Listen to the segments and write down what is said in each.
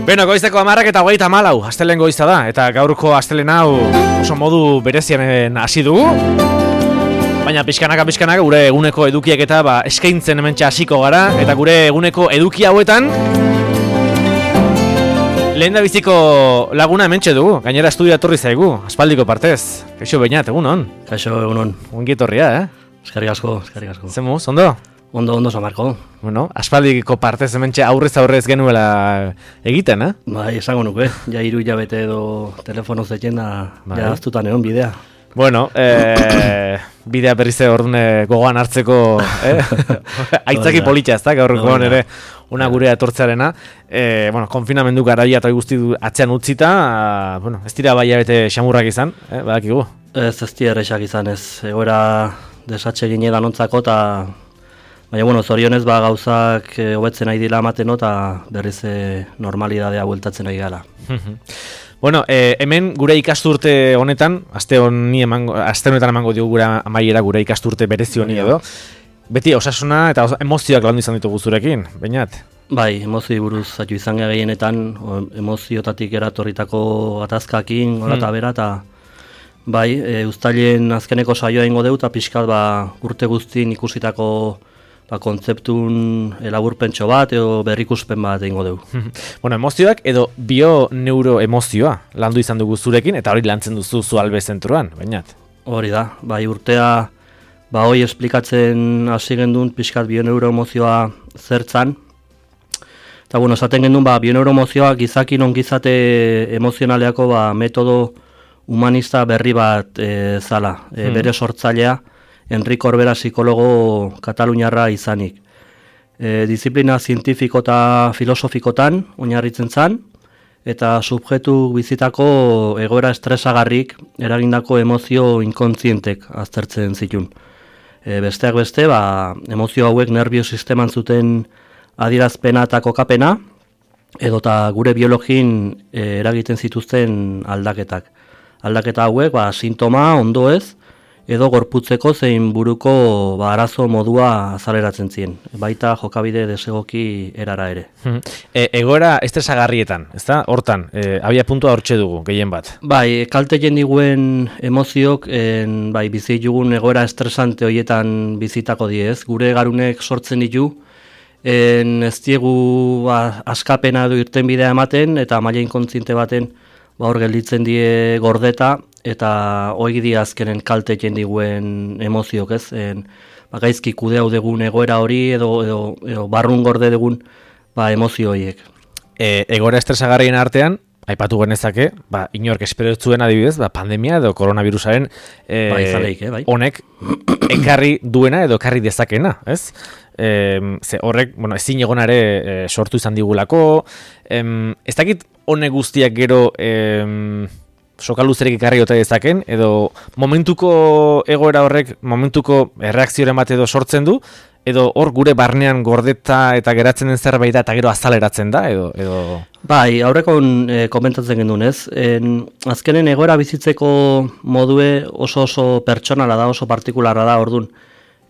Beno, goizeko 10:24, astelehen goiza da, eta gaurko astelehen hau oso modu berezianen hasi dugu. Baina pixkanaka gure eguneko edukiak eta eskaintzen hementxe hasiko gara, eta gure eguneko eduki hauetan lehendabiziko laguna hementxe dugu, gainera estudia etorri zaigu, aspaldiko partez. Kaixo Beñat, egunon? Kaixo, egunon. Ongi etorria, Eskerrik asko. Zemuz, ondo? Ondo, Samarko. Bueno, aspaldiko partez hementxe aurrez genuela egiten, Bai, esango nuke, ja 3 hilabete edo telefono zetzen da, ja aztutan egon bidea. Bueno, bidea berrize ordune gogoan hartzeko aitzaki politxa ez da, gaurkoan ere una gurea etortzearena. Konfinamendu garaia eta guzti atzean utzita, ez dira baiabete xamurrak izan, badakigu? Ez dira errexak izan ez, egoera desatxe gine danontzako eta baina, zorionez gauzak hobetzen nahi dila amateno eta berriz normalidadea bueltatzen nahi gala. Bueno, hemen gure ikasturte honetan, aste honetan emango diogu gure amaiera gure ikasturte berezi honi edo. Beti osasuna eta emozioak landu izan ditugu zurekin, Beñat? Bai, emozioi buruz zaitu izan gehienetan, emoziotatik eratorritako gatazkakin, hola eta bera, eta bai, uztailen azkeneko saioa ingo deu, eta pixkat urte guztien ikusitako kontzeptun laburpentxo bat edo berrikuspen bat egingo dugu. Bueno, emozioak edo bio-neuroemozioa landu izan dugu zurekin, eta hori lantzen duzu Zualbe zentroan, Beñat? Hori da, bai urtea, hoi esplikatzen hasi gendun pixkat bio-neuroemozioa zertzan. Eta esaten gendun bio-neuroemozioa gizakin ongizate emozionaleako metodo humanista berri bat zala, bere sortzailea, Enrique Orbera psikologo kataluniarra izanik. Disiplina zientifiko eta filosofikotan oinarritzen zan, eta subjektu bizitako egoera estresagarrik eragindako emozio inkontzientek aztertzen zitun. Besteak beste, emozio hauek nervio sisteman zuten adierazpena eta kokapena, edota gure biologin eragiten zituzten aldaketak. Aldaketa hauek, sintoma, ondo ez, edo gorputzeko zein buruko arazo modua azaleratzen zien, baita jokabide desegoki erara ere. Egoera estresagarrietan, ezta? Hortan, abia puntua hortxe dugu, gehien bat. Bai, kalte jendiguen emoziok, bizi dugun egoera estresante horietan bizitako diez, gure garunek sortzen ditu, ez diegu askapena edo irtenbidea ematen, eta maila inkontziente baten hor gelditzen die gordeta, eta hori di azkenen kalte jendiguen emoziok, ez? Gaizki kudea dugun egoera hori edo barrun gorde dugun emozio horiek. Egoera estresagarrien artean, aipatu genezake, inork espero zuen adibidez, pandemia edo koronavirusaren honek ekarri duena edo ekarri dezakena, ez? Horrek, ezin egonare sortu izan digulako, ez dakit honek guztiak gero sokaluzerek ekarri ote dezaken, edo momentuko egoera horrek, momentuko erreakzioaren bat edo sortzen du, edo hor gure barnean gordeta eta geratzen den zerbait da, eta gero azaleratzen da, edo... Bai, aurrekon komentatzen gendun, ez? Azkenen egoera bizitzeko modue oso pertsonala da, oso partikularra da, ordun.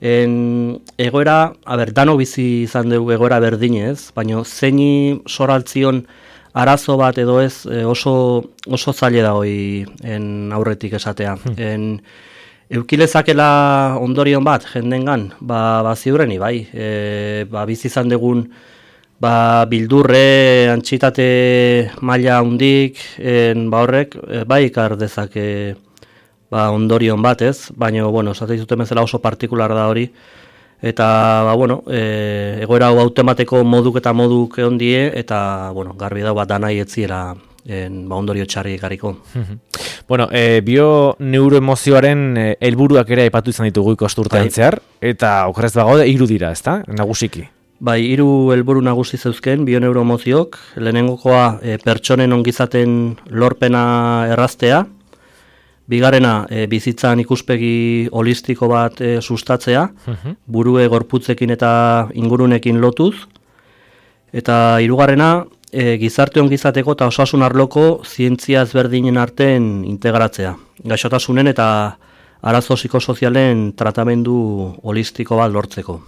Egoera, dano bizi izan dugu egoera berdinez, baina zeini soraltzion arazo bat edo ez oso zaila da hoi aurretik esatea. Eukilezakela ondorion bat jendengan, ziurreni, bai. Bizi izan dugun bildurre, antxitate maila hundik, horrek, ikar dezake ondorion bat ez, baina, esate izuten bezala oso partikular da hori, eta, egoera hau automateko moduk ondie, eta, garbi da danai etziela ondorio txarri ekarriko. Bio-neuroemozioaren helburuak ere aipatu izan ditugu ikasturtean zehar, eta okerrez bagaude 3 dira, ezta? Nagusiki. Bai, 3 helburu nagusi zeuzken bio-neuroemoziok, lehenengokoa pertsonen ongizaten lorpena erraztea, bigarrena, bizitzan ikuspegi holistiko bat sustatzea, burue gorputzekin eta ingurunekin lotuz, eta 3. Gizarte ongizateko eta osasun arloko zientzia ezberdinen artean integratzea. Gaixotasunen eta arazo psikosozialen tratamendu holistiko bat lortzeko.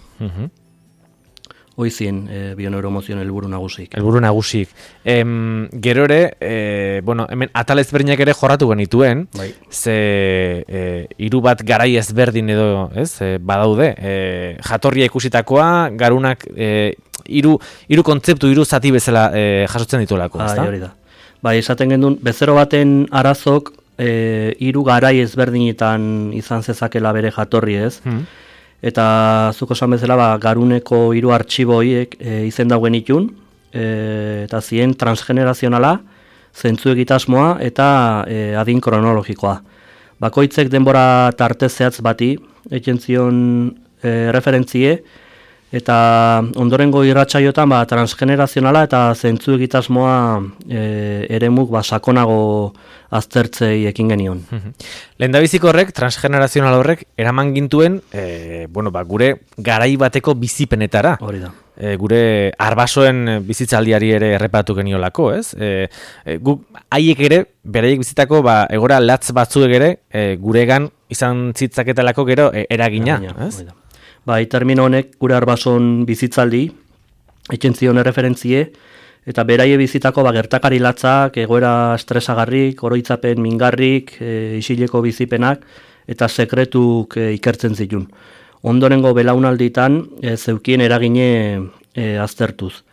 Hoizien bioneuromozioen helburu nagusik. Helburu nagusik. Gero ere, bueno, hemen atal ezberdinak ere jorratu genituen, bai. Ze hiru bat garai ezberdin edo, ez, badaude. Jatorria ikusitakoa, garunak hiru kontzeptu, hiru zati bezala jasotzen dituelako, ezta? Hori da. Bai, esaten gendun, bezero baten arazok hiru garai ezberdinetan izan zezakela bere jatorri, ez? Eta zuko esan bezala, garuneko hiru artxibo horiek izen dauen itun, eta zien transgenerazionala, zentzu egitasmoa eta adin kronologikoa. Bakoitzek denbora tarte zehatz bati, eken zion referentzie, eta ondorengo irratsaiotan transgenerazionala eta zentzu egitasmoa eremuk sakonago aztertzei ekin genion. Lehendabiziko horrek, transgenerazional horrek, eraman gintuen gure garai bateko bizipenetara. Hori da. Gure arbasoen bizitzaldiari ere errepatu geniolako, ez? Guk haiek ere, beraiek bizitako egora latz batzuek ere, guregan izan zitzaketalako gero eragina, ez? Bai, termino honek gure arbason bizitzaldi, eken zion erreferentzie, eta beraie bizitako gertakari latzak, egoera estresagarrik, oroitzapen mingarrik, isileko bizipenak, eta sekretuk ikertzen zitun. Ondorengo belaunalditan zeukien eragine aztertuz.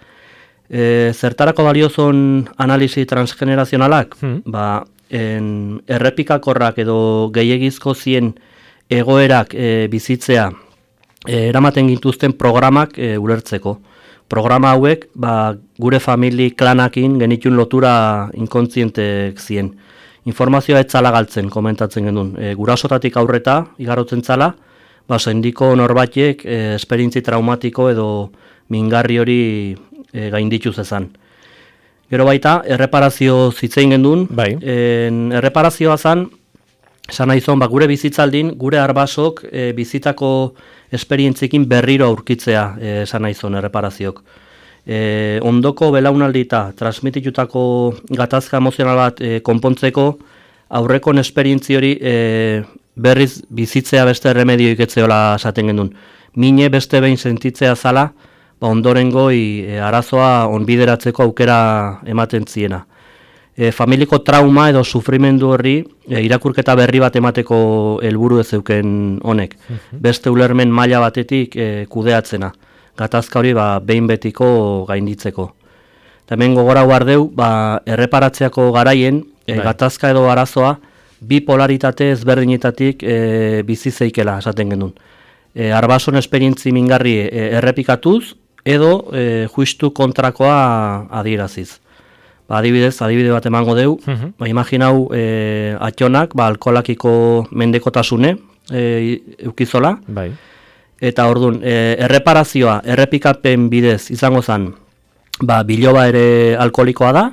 Zertarako baliozon analisi transgenerazionalak? Errepikakorrak edo gehiegizko zien egoerak bizitzea eramaten gintuzten programak ulertzeko. Programa hauek gure famili klanakin genitun lotura inkontzientek zien. Informazioa etzala galtzen, komentatzen genuen. Gurasotatik aurreta, igarotzen zala, sendiko norbatiek esperientzi traumatiko edo mingarri hori gaindituz ezan. Gero baita, erreparazio zitzein genuen. Bai. Erreparazioa zan, esan nahi zon, gure bizitzaldin, gure arbasok bizitako esperientzikin berriro aurkitzea esan nahi zon erreparaziok. Ondoko belaunaldita transmititutako gatazka emozional bat konpontzeko aurrekon esperientzi hori berriz bizitzea beste remedioik etzeola esaten gendun. Mine beste behin sentitzea zala, ondorengoi arazoa onbideratzeko aukera ematen ziena. Familiko trauma edo sufrimendu horri irakurketa berri bat emateko helburu ez zeuken honek. Beste ulermen maila batetik kudeatzena. Gatazka hori behin betiko gainditzeko. Eta hemen gogora guardeu, erreparatzeako garaien gatazka edo arazoa bi polaritate ezberdinetatik bizi zeikela esaten genuen. Arbason esperientzi mingarri errepikatuz edo justu kontrakoa adieraziz. Adibide bat emango deu, imaginau atxonak, alkoholakiko mendekotasune eukizola, eta orduan, erreparazioa, errepikapen bidez izango zen, biloba ere alkoholikoa da,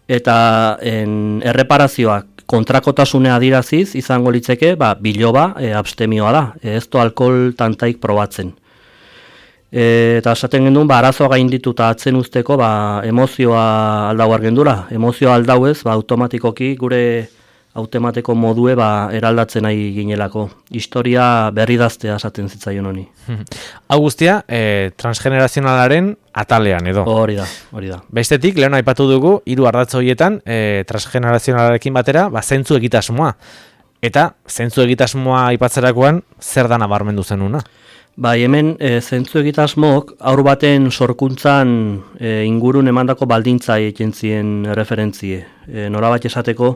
eta erreparazioak kontrakotasune adiraziz izango litzeke, biloba abstemioa da, ez du alkohol tantaik probatzen. Eta esaten genduen, arazoa gainditu eta atzen usteko, emozioa aldau argendura. Emozioa aldau ez, automatikoki gure automateko modue eraldatzen nahi ginelako. Historia berri daztea esaten zitzaion honi. Hau guztia, transgenerazionalaren atalean edo. Hori da. Bestetik, lehen aipatu dugu, hiru ardatz horietan, transgenerazionalarekin batera, zentzu egitasmoa. Eta, zentzu egitasmoa aipatzerakoan, zer da nabarmendu zenuna? Hemen zentzu egitasmok aur baten sorkuntzan ingurun emandako baldintza egiten zien referentzie. Norabat esateko,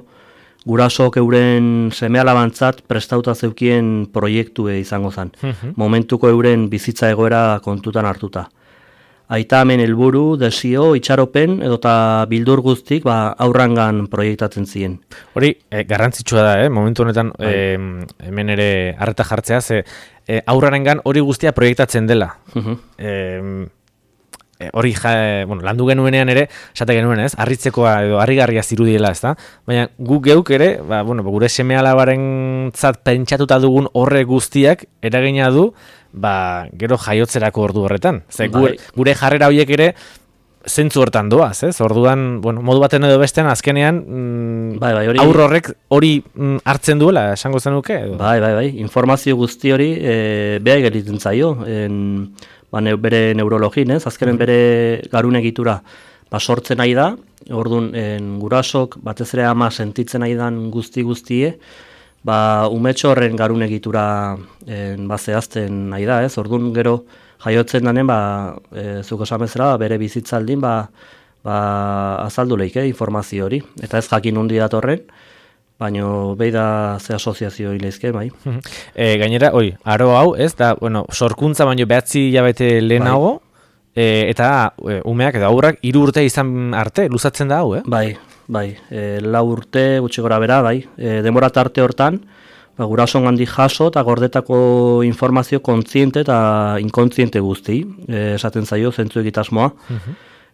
gurasok euren seme-alabantzat prestauta zeukien proiektue izango zen. Momentuko euren bizitza egoera kontutan hartuta. Aita hemen helburu, desio, itxaropen edota bildur guztik aurrangan proiektatzen ziren. Hori, garrantzitsua da, momentu honetan hemen ere arreta jartzea, ze aurrarengan hori guztia proiektatzen dela. Hori, landu genuenean ere, esate genuen ez, harritzekoa edo harrigarria zirudiela ez da, baina guk geuk ere, gure seme-alabaren zat pentsatuta dugun horre guztiak eragina du, gero jaiotzerako ordu horretan. Gure jarrera horiek ere, zentzu hortan doaz, ez? Orduan, bueno, modu baten edo bestean azkenean aurro horrek hori hartzen duela, esango zenuke? Edo? Bai, informazio guzti hori behar egiten zaio, bere neurologin, ez? Azkenen bere garun egitura sortzen nahi da, orduan gurasok, batez ere ama sentitzen nahi dan guztie, umetxo horren garun egitura zehazten nahi da, ez? Orduan gero jaiotzen danen, zuko esamezela, bere bizitzaldin, azaldu lehike informazio hori. Eta ez jakin hundi datorren, baina behi da ze asoziazio hilezke, bai. Gainera, aro hau, ez da, sorkuntza baino behatzi hilabete lehenago, eta umeak edo aurrak 3 urte izan arte, luzatzen da hau, Bai, 4 urte, gutxi gora bera, bai. Denbora tarte hortan, gurason handi jaso eta gordetako informazio kontziente eta inkontziente guzti, esaten zaio zentzu egitasmoa.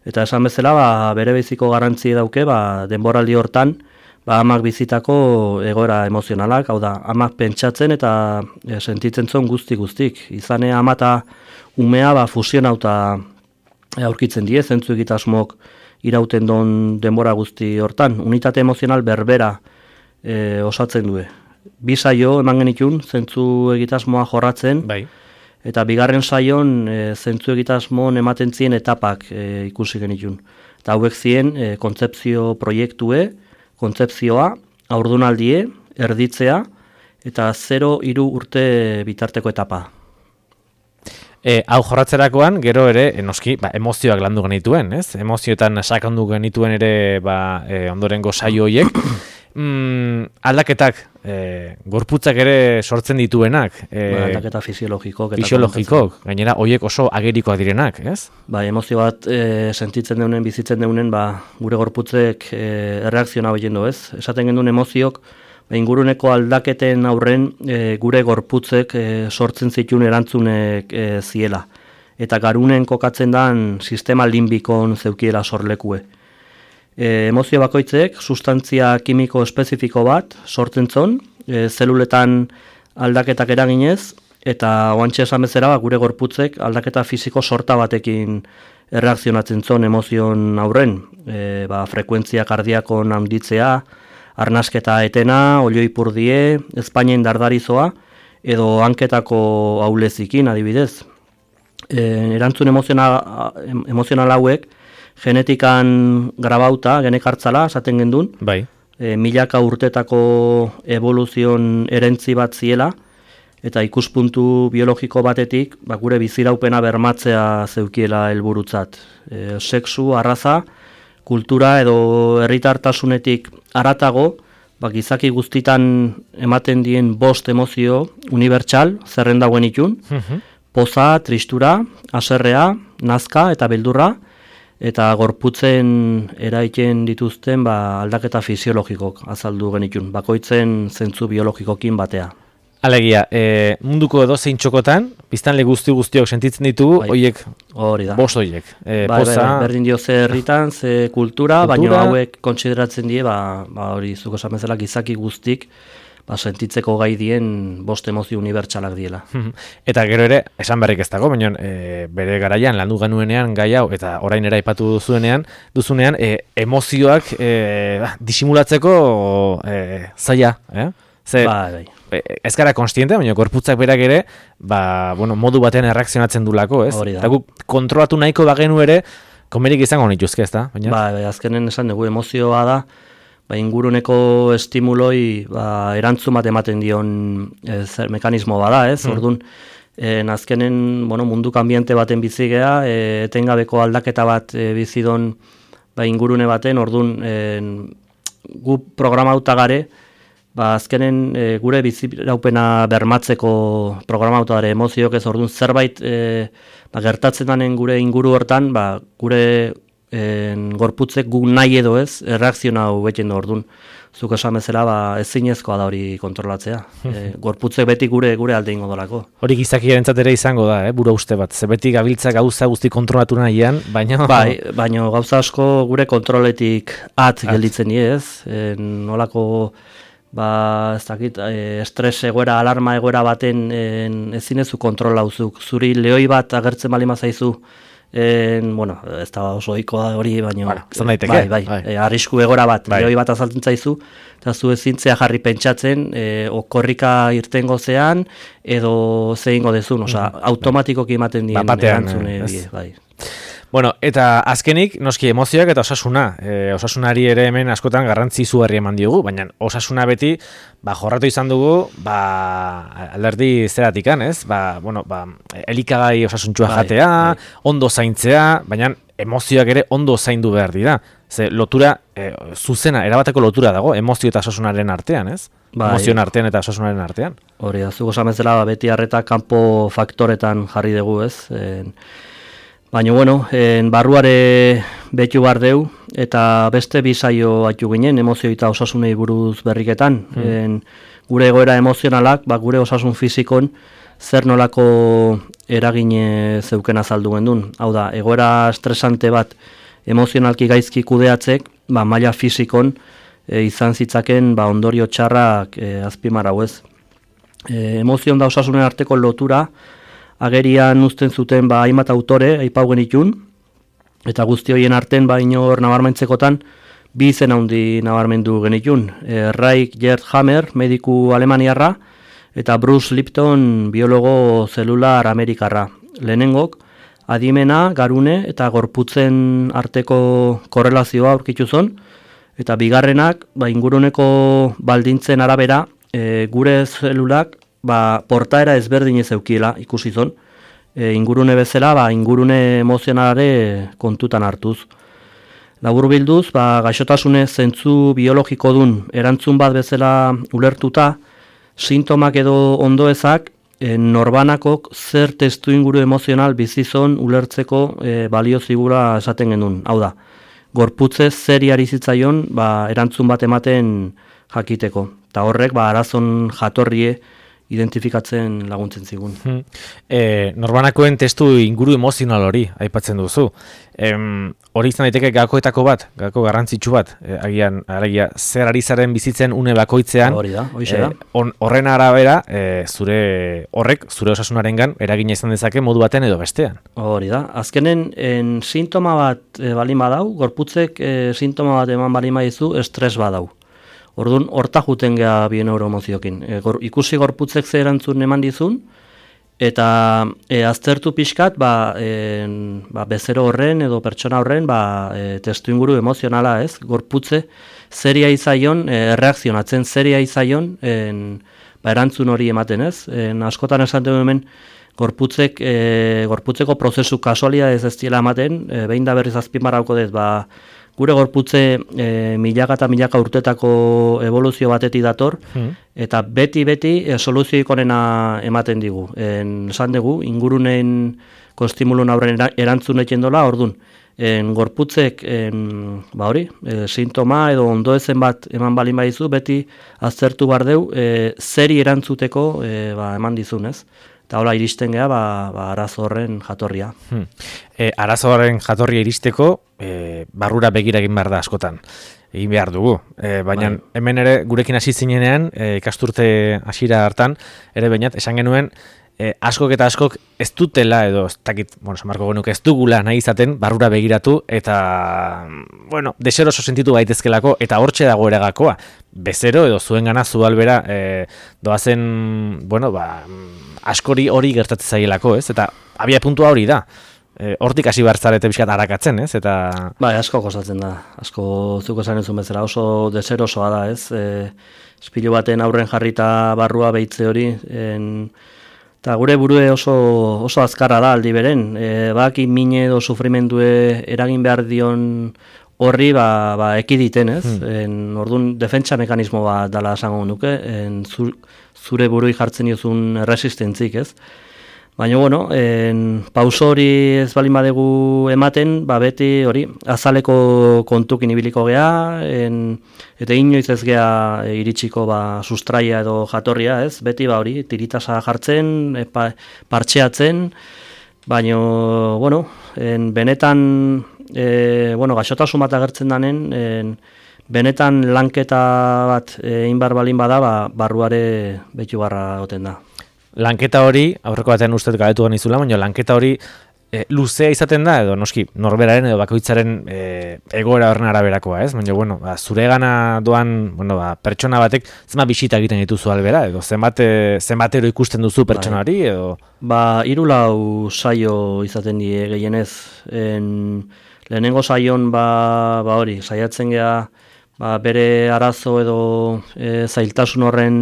Eta esan bezala, bere beziko garrantzi dauke, denboraldi hortan, amak bizitako egoera emozionalak, hau da, amak pentsatzen eta sentitzen zuen guztik. Izane ama eta umea fusionauta aurkitzen die, zentzu egitasmok irauten don denbora guzti hortan. Unitate emozional berbera osatzen du. 2 saio eman genitun, zentzu egitasmoa jorratzen, eta 2. saion zentzu egitasmoan ematen zien etapak ikusi genitun. Eta hauek ziren kontzepzio proiektue, kontzepzioa, haurdunaldie, erditzea, eta 0-3 urte bitarteko etapa. Hau jorratzerakoan, gero ere, noski, emozioak landu genituen, ez? Emozioetan sakondu genituen ere ondorengo saio horiek. Aldaketak, gorputzak ere sortzen dituenak. Aldaketa fisiologikok. Gainera, horiek oso agerikoak direnak, ez? Emozio bat sentitzen deunen, bizitzen deunen, gure gorputzek erreakziona horien du, ez? Esaten genduen emoziok, inguruneko aldaketen aurren gure gorputzek sortzen zituen erantzunek ziela. Eta garunen kokatzen dan sistema limbikon zeukiela sorlekue. Emozio bakoitzek sustantzia kimiko espezifiko bat sortzen zon, zeluletan aldaketak eraginez, eta oantxe esan bezala gure gorputzek aldaketa fisiko sorta batekin erreakzionatzen zon emozion aurren. Frekuentzia kardiakon handitzea, arnasketa etena, olioipurdie, ezpainen dardarizoa, edo hanketako aulezikin adibidez. Erantzun emozional hauek, genetikan grabauta, genekartzala, esaten gendun, milaka urtetako evoluzion erentzi bat ziela, eta ikuspuntu biologiko batetik, gure biziraupena bermatzea zeukiela helburutzat. Sexu, arraza, kultura edo herritartasunetik aratago, gizaki guztitan ematen dien 5 emozio unibertsal, zerren dagoen itun, poza, tristura, haserrea, nazka eta beldurra, eta gorputzen eraiten dituzten aldaketa fisiologikok azaldu genitun, bakoitzen zentzu biologikokin batea. Alegia, munduko edozein txokotan, biztanle guztiok sentitzen ditugu, horiek, 5 horiek. Berdin dio ze herritan, ze kultura, baina hauek kontsideratzen die, hori zuko esan bezala gizaki guztik, sentitzeko gai dien 5 emozio unibertsalak diela. Eta gero ere, esan berrik ez dago, baina bere garaian landu genuenean gai hau, eta orain era aipatu duzunean, emozioak disimulatzeko zaila, ez gara konstiente, baina gorputzak berak ere, modu batean erreakzionatzen dulako, ez? Eta guk kontrolatu nahiko bagenu ere, komerik izango nituzke, ez da? Azkenen esan dugu, emozioa da, inguruneko estimuloi erantzun bat ematen dion mekanismo bada, ez? Orduan, azkenen munduko ambiente baten bizigea, etengabeko aldaketa bat bizidon ingurune baten, orduan, gu programauta gare, azkenen gure biziraupena bermatzeko programauta gare emozioak ez, orduan, zerbait gertatzen danen gure inguru hortan, gure gorputzek guk nahi edo ez, erreakziona hau beten da orduan. Zuk esan bezala, ezinezkoa da hori kontrolatzea. Gorputzek beti gure alde ingo dolako. Hori gizakiarentzat ere izango da, bura uste bat. Ze beti gabiltza gauza guzti kontrolatu nahian, baina... Baina gauza asko gure kontroletik gelditzen ez. Nolako, ez dakit, estres egoera, alarma egoera baten ezinezu kontrola uzuk. Zuri lehoi bat agertzen balima zaizu bueno, ez da oso ohikoa hori, baina bai, arrisku egora bat, joi bat azaltzen zaizu, eta zu ezintzea jarri pentsatzen, okorrika irtengo zean, edo zeingo dezun, automatikoki ematen dien erantzune, bai. Bueno, eta azkenik, noski emozioak eta osasuna. Osasunari ere hemen askotan garrantzi izugarri eman diogu, baina osasuna beti jorratu izan dugu alderdi zeratikan, ez? Elikagai osasuntxua jatea, ondo zaintzea, baina emozioak ere ondo zaindu behar dira. Ze lotura, zuzena, erabateko lotura dago, emozio eta osasunaren artean, ez? Emozioen artean eta osasunaren artean. Hori da, zuko zamezela beti arreta kanpo faktoretan jarri dugu, ez? Baina, bueno, barruare betu bar deu, eta beste bizaio atu ginen, emozio eta osasunei buruz berriketan. Gure egoera emozionalak, gure osasun fizikon, zer nolako eragine zeuken azaldu gendun. Hau da, egoera estresante bat emozionalki gaizki kudeatzek, maila fizikon izan zitzaken ondorio txarrak azpimarrau ez. Emozion da osasunen arteko lotura, agerian uzten zuten hainbat autore aipau genitun, eta guzti horien arten inor nabarmentzekotan bi izen handi nabarmendu genitun. Reich Gerd Hammer, mediku alemaniarra, eta Bruce Lipton, biologo zelular amerikarra. Lehenengok, adimena, garune eta gorputzen arteko korrelazioa aurkitu zon, eta bigarrenak inguruneko baldintzen arabera gure zelulak portaera ezberdin ez eukiela ikusi zon, ingurune bezala, ingurune emozionalare kontutan hartuz. Labur bilduz, gaixotasune zentzu biologiko dun erantzun bat bezala ulertuta, sintomak edo ondoezak norbanakok zer testu inguru emozional bizizon ulertzeko balio zigura esaten genuen. Hau da, gorputze zeri ari zitzaion erantzun bat ematen jakiteko. Eta horrek arazon jatorrie identifikatzen laguntzen zigun. Norbanakoen testu inguru emozional hori aipatzen duzu. Hori izan daiteke gakoetako bat, gako garrantzitsu bat, agian zer ari zaren bizitzen une bakoitzean, horren arabera zure osasunarengan eragina izan dezake modu baten edo bestean. Hori da, azkenen sintoma bat balin badau, gorputzek sintoma bat eman balin badizu, estres badau. Orduan, horta juten geha bien neuromoziokin. Ikusi gorputzek ze erantzun eman dizun, eta aztertu pixkat, bezero horren edo pertsona horren testu inguru emozionala, ez? Gorputze zeria izaion, erreakzionatzen zeria izaion, erantzun hori ematen, ez? Askotan esan dugu hemen, gorputzeko prozesu kasualia ez diela ematen, behin da berriz azpimarrauko dez, gure gorputze milaka eta milaka urtetako evoluzio batetik dator, eta beti soluzioik onena ematen digu. Esan dugu, ingurunen konstimulun aurren erantzun eken dola, orduan, gorputzek sintoma edo ondoezen bat eman balin badizu, beti aztertu bar deu, zeri erantzuteko eman dizun, ez? Eta hola iristen geha, arazo horren jatorria. Arazo horren jatorria iristeko, barrura begira egin behar da askotan. Egin behar dugu. Baina hemen ere gurekin hasi zinenean, ikasturte hasiera hartan, ere bainat, esan genuen, askok eta askok ez dutela edo Marko genuke ez dugula nahi izaten barrura begiratu eta deseroso sentitu baitezkelako eta hortxe dago ere gakoa. Bezero edo zuen gana zu albera doazen askori hori gertatzen zaielako, ez? Eta abia puntua hori da. Hortik hasi behar zarete bizkat harakatzen, ez? Eta asko kostatzen da. Asko zuko esan ezun bezala oso deserosoa da, ez? Espilu baten aurren jarrita barrua behitze hori, eta gure burue oso azkarra da aldi beren. Baki mine edo sufrimendue eragin behar dion horri ekiditen, ez? Orduan defentsa mekanismo bat dala esango nuke, zure burui jartzen diozun resistentzik, ez? Baina, pauso hori ez balin badegu ematen, beti hori azaleko kontukin ibiliko geha, eta inoiz ez geha iritsiko sustraia edo jatorria, ez? Beti hori, tiritasa jartzen, partxeatzen, baina, benetan, gaixotasun bat agertzen danen, benetan lanketa bat inbar balin bada, barruare betu barra goten da. Lanketa hori, aurreko batean ustez galetu ganizula, baina lanketa hori luzea izaten da, edo noski, norberaren edo bakoitzaren egoera horren araberakoa, ez? Baina, bueno, zure gana doan, bueno, pertsona batek, zenbat bisita egiten dituzu albera, edo zenbatero ikusten duzu pertsonari, edo? 3-4 saio izaten die gehienez. Lehenengo saion, hori, saiatzen gea, bere arazo edo zailtasun horren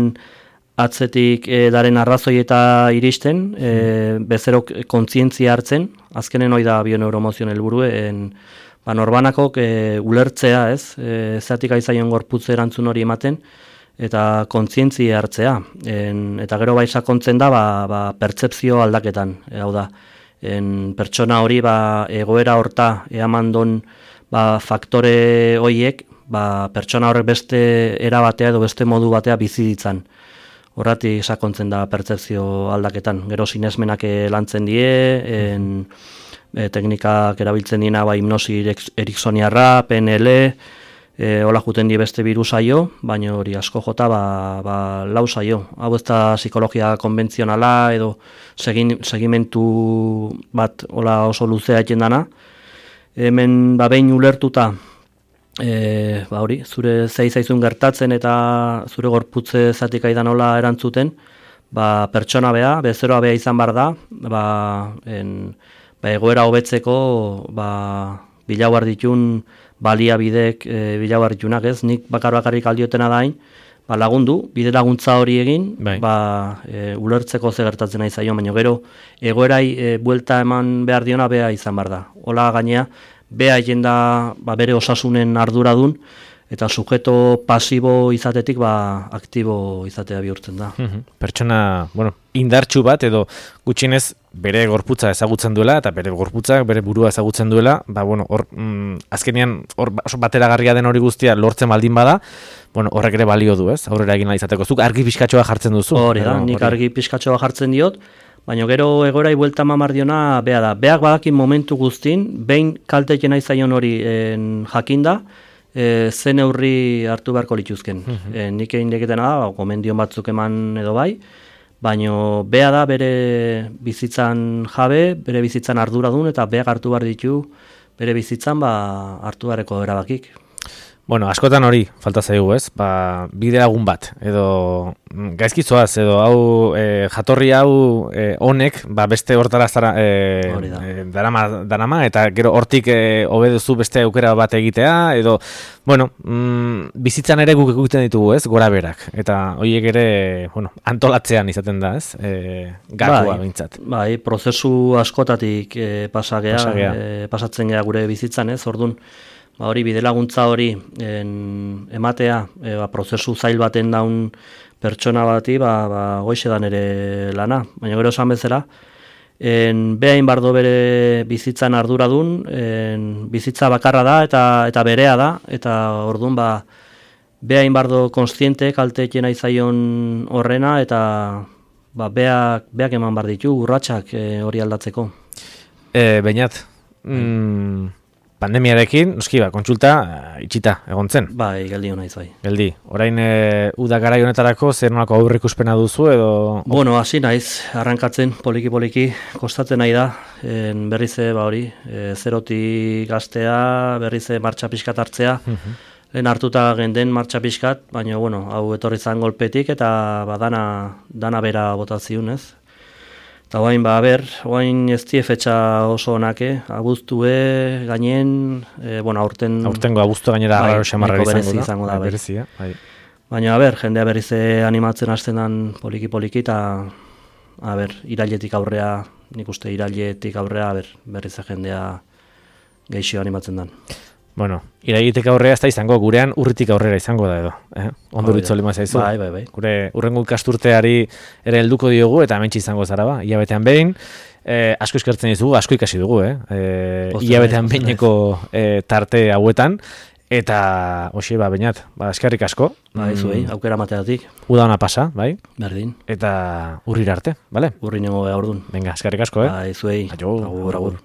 atzetik daren arrazoi eta iristen, bezerok kontzientzia hartzen, azkenen hori da bioneuromozion helburu, norbanakok ulertzea, ez, zatik aizaion gorputze erantzun hori ematen, eta kontzientzia hartzea. Eta gero bai sakontzen da, pertzepzio aldaketan, hau da. Pertsona hori egoera horta eamandon faktore horiek, pertsona horrek beste era batea edo beste modu batea bizi ditzan. Horratik sakontzen da pertzepzio aldaketan. Gero sinesmenak lantzen die, teknikak erabiltzen diena hipnosi eriksoniarra, PNL, hola juten die beste birusaio, baina hori asko jota 4 saio. Hau ez da psikologia konbentzionala edo segimentu bat hola oso luzea egin dana. Hemen behin ulertuta, hori, zure zaizun gertatzen eta zure gorputze zatik aidan hola erantzuten, pertsona bezeroa bea izan bar da, egoera hobetzeko bilauar ditun baliabidek bilauar ditunak, ez? Nik bakarrik aldiotena dain, lagundu, bide laguntza hori egin, ulertzeko ze gertatzen nahi zaio, baina gero egoerai buelta eman behar diona bea izan bar da. Hola gainea, bea egin da bere osasunen arduradun, eta sujeto pasibo izatetik aktibo izatea bihurtzen da. Pertsona, indartsu bat edo gutxienez bere gorputza ezagutzen duela, eta bere gorputzak bere burua ezagutzen duela, azkenean oso bateragarria den hori guztia lortzen baldin bada, horrek ere balio du, ez? Aurrera egin izateko. Zuk argi pixkatxoa jartzen duzu. Hori da, nik argi pixkatxoa jartzen diot, baina gero egorai buelta mamardiona bea da. Beak badakin momentu guztin, behin kalteken nahi zaion hori jakinda, zen neurri hartu beharko lituzken. Nik egin deketena da, gomendion batzuk eman edo bai, baina bea da bere bizitzan jabe, bere bizitzan arduradun, eta beak hartu behar ditu bere bizitzan hartu beharreko erabakik. Askotan hori falta zaigu, ez? Bide lagun bat, edo gaizkizoaz, edo hau jatorri hau honek, beste hortara darama, eta gero hortik hobeduzu beste aukera bat egitea, edo, bizitzan ere guk egiten ditugu, ez? Gora berak, eta horiek ere, antolatzean izaten da, ez? Gakoa bintzat. Prozesu askotatik pasatzen gea gure bizitzan, ez? Orduan, hori bide laguntza hori ematea, prozesu zail baten daun pertsona bati, goixe dan ere lana. Baina gero esan bezala, behain bardo bere bizitzan arduradun, bizitza bakarra da eta berea da, eta orduan behain bardo konstiente kalteekena izaion horrena, eta beak eman bar ditu urratsak hori aldatzeko. Beñat, pandemiarekin, noski kontsulta itxita egon zen. Geldi hona izai. Geldi. Orain uda garai honetarako zer nolako aurreikuspena duzu edo? Hasi naiz, arrankatzen poliki-poliki, kostatzen nahi da, berriz hori, zerotik gaztea, berriz martxa pixkat hartzea, lehen hartuta genden martxa pixkat, baina hau etorri zan golpetik eta dana bera botaziun, ez? Eta oain ez die fetxa oso onake, abuztue gainen, aurtengo abuztu gainera raro xamarra izango da. Berezia, Baina, jendea berriz animatzen hasten dan poliki-poliki, eta, irailetik aurrea, nik uste irailetik aurrea, berriz jendea geixio animatzen dan. Irailetik aurrea ez da izango, gurean urritik aurrera izango da edo. Onduritzo lima zaizu. Bai. Gure urrengo ikasturteari ere helduko diogu, eta hementsi izango zara hilabetean behin. Asko eskertzen dizugu, asko ikasi dugu, hilabetean behineko tarte hauetan. Eta, Beñat, eskerrik asko. Zuei, aukera mateatik. Uda ona pasa, bai? Berdin. Eta urrira arte, bale? Urri nengo ordun. Venga, eskerrik asko, Zuei. Agur.